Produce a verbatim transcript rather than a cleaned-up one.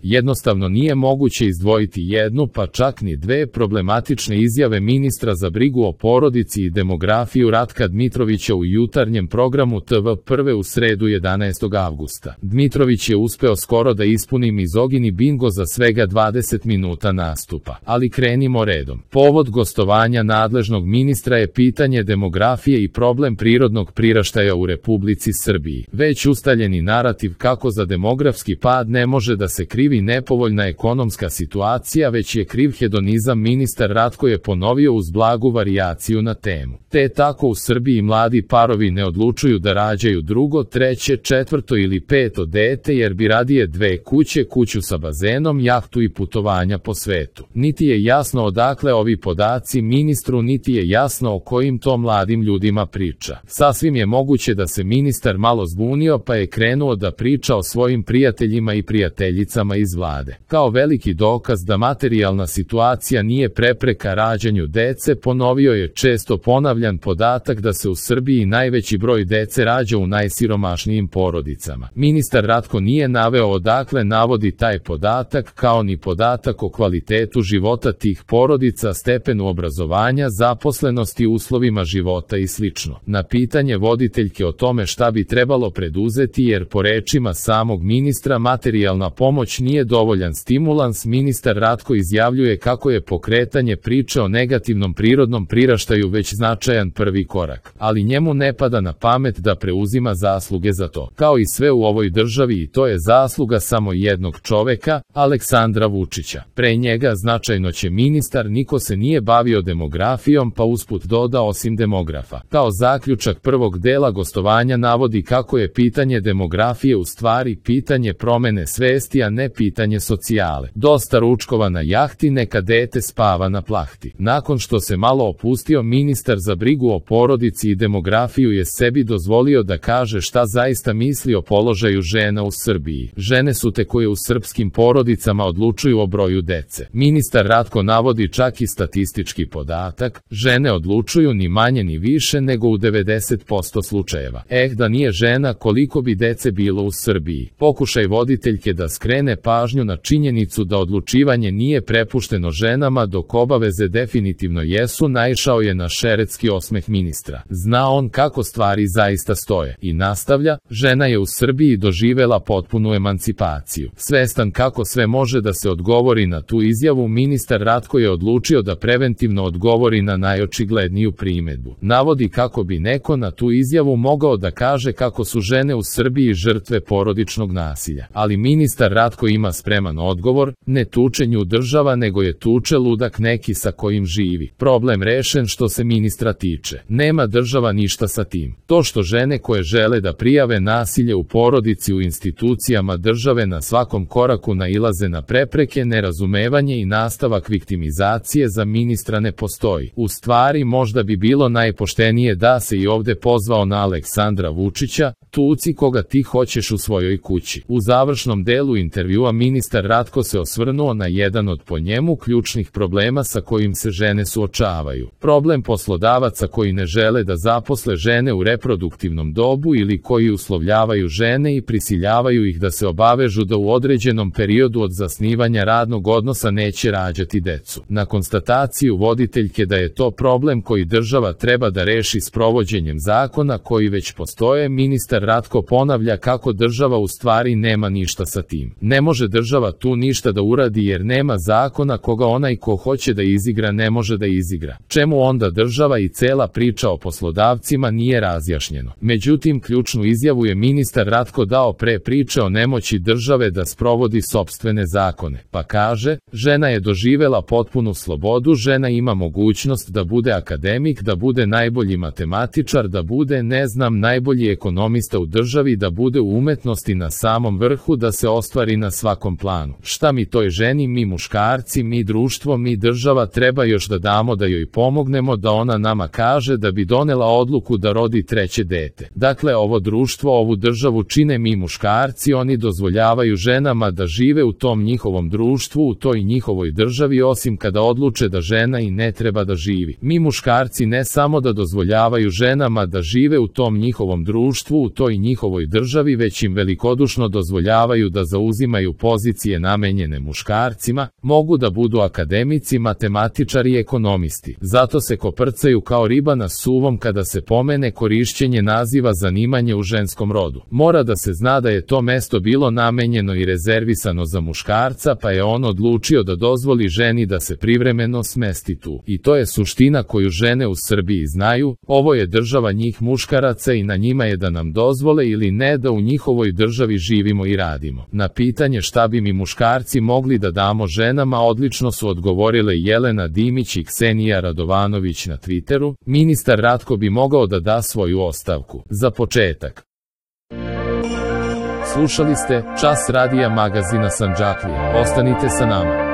Jednostavno nije moguće izdvojiti jednu, pa čak ni dve problematične izjave ministra za brigu o porodici i demografiju Ratka Dmitrovića u jutarnjem programu T V prve u sredu jedanaestog avgusta. Dmitrović je uspeo skoro da ispuni mizogini bingo za svega dvadeset minuta nastupa. Ali krenimo redom. Povod gostovanja nadležnog ministra je pitanje demografije i problem prirodnog priraštaja u Republici Srbiji. Već ustaljeni narativ kako za demografski pad ne može da se krivi nepovoljna ekonomska situacija, već je kriv hedonizam, ministar Ratko je ponovio uz blagu varijaciju na temu. Te tako u Srbiji mladi parovi ne odlučuju da rađaju drugo, treće, četvrto ili peto dete jer bi radije dve kuće, kuću sa bazenom, jahtu i putovanja po svetu. Niti je jasno odakle ovi podaci ministru, niti je jasno o kojim to mladim ljudima priča. Sasvim je moguće da se ministar malo zbunio pa je krenuo da priča o svojim prijateljima i prijateljicama iz vlade. Kao veliki dokaz da materijalna situacija nije prepreka rađanju dece, ponovio je često ponavljan podatak da se u Srbiji najveći broj dece rađa u najsiromašnijim porodicama. Ministar Ratko nije naveo odakle navodi taj podatak, kao ni podatak o kvalitetu života tih porodica, stepenu obrazovanja, zaposlenosti, uslovima života i slično. Na pitanje voditeljke o tome šta bi trebalo preduzeti, jer po rečima samog ministra materijalna pomoć nije dovoljan stimulans, ministar Ratko izjavljuje kako je pokretanje priče o negativnom prirodnom priraštaju već značajan prvi korak, ali njemu ne pada na pamet da preuzima zasluge za to. Kao i sve u ovoj državi, i to je zasluga samo jednog čoveka, Aleksandra Vučića. Pre njega značajno će ministar, niko se nije bavio demografijom, pa usput doda osim demografa. Kao zaključak prvog dela gostovanja navodi kako je pitanje demografije u stvari pitanje promene svesti, a ne pitanje socijale. Dosta ručkova na jahti, neka dete spava na plahti. Nakon što se malo opustio, ministar za brigu o porodici i demografiju je sebi dozvolio da kaže šta zaista misli o položaju žena u Srbiji. Žene su te koje u srpskim porodicama odlučuju o broju dece. Ministar Ratko navodi čak i statistički podatak, žene odlučuju ni manje ni više nego u devedeset posto slučajeva. Eh, da nije žena, koliko bi dece bilo u Srbiji. Pokušaj voditeljke da skrene pažnju na činjenicu da odlučivanje nije prepušteno ženama dok obaveze definitivno jesu, naišao je na šeretski osmeh ministra. Zna on kako stvari zaista stoje. I nastavlja, žena je u Srbiji doživela potpunu emancipaciju. Svestan kako sve može da se odgovori na tu izjavu, ministar Ratko je odlučio da preventivno odgovori na najočigledniju primedbu. Navodi kako bi neko na tu izjavu mogao da kaže kako su žene u Srbiji žrtve porodičnog nasilja. Ali ministar Ratko ima spreman odgovor, ne tuče nju država, nego je tuče ludak neki sa kojim živi. Problem rešen što se ministra tiče. Nema država ništa sa tim. To što žene koje žele da prijave nasilje u porodici u institucijama države na svakom koraku nailaze na prepreke, nerazumevanje i nastavak viktimizacije, za ministra ne postoji. U stvari, možda bi bilo najpoštenije da se i ovde pozvao na Aleksandra Vučića, tuci koga ti hoćeš u svojoj kući. U završnom delu intervjua ministar Ratko se osvrnuo na jedan od po njemu ključnih problema sa kojim se žene suočavaju. Problem poslodavaca koji ne žele da zaposle žene u reproduktivnom dobu ili koji uslovljavaju žene i prisiljavaju ih da se obavežu da u određenom periodu od zasnivanja radnog odnosa neće rađati decu. Na konstataciju voditeljke da je to problem koji država treba da reši sprovođenjem zakona koji već postoje, ministar Ratko ponavlja kako država u stvari nema ništa sa tim. Ne može država tu ništa da uradi jer nema zakona koga onaj ko hoće da izigra ne može da izigra. Čemu onda država i cela priča o poslodavcima nije razjašnjeno. Međutim, ključnu izjavu je ministar Ratko dao pre priče o nemoći države da sprovodi sopstvene zakone. Pa kaže, žena je doživela potpunu slobodu, žena ima mogućnost da bude akademik, da bude najbolji matematičar, da bude, ne znam, najbolji ekonomista u državi, da bude u umetnosti na samom vrhu, da se ostvari na svakom planu. Šta mi toj ženi, mi muškarci, mi društvo, mi država treba još da damo da joj pomognemo da ona nama kaže da bi donela odluku da rodi treće dete. Dakle, ovo društvo, ovu državu čine mi muškarci, oni dozvoljavaju ženama da žive u tom njihovom društvu, u toj njihovoj državi, osim kada odluče da žena i ne treba da živi. Mi muškarci ne samo da dozvoljavaju ženama da žive u tom njihovom društvu, u toj njihovoj državi, već im velikodušno dozvoljavaju da zauzimaju imaju pozicije namenjene muškarcima, mogu da budu akademici, matematičari i ekonomisti. Zato se koprcaju kao riba na suvom kada se pomene korišćenje naziva zanimanje u ženskom rodu. Mora da se zna da je to mesto bilo namenjeno i rezervisano za muškarca, pa je on odlučio da dozvoli ženi da se privremeno smesti tu. I to je suština koju žene u Srbiji znaju, ovo je država njih muškaraca i na njima je da nam dozvole ili ne da u njihovoj državi živimo i radimo. Na pitanje šta bi mi muškarci mogli da damo ženama odlično su odgovorile Jelena Dimić i Ksenija Radovanović na Twitteru, ministar Ratko bi mogao da da svoju ostavku. Za početak. Slušali ste Čas radija magazina Sandžaklija. Ostanite sa nama.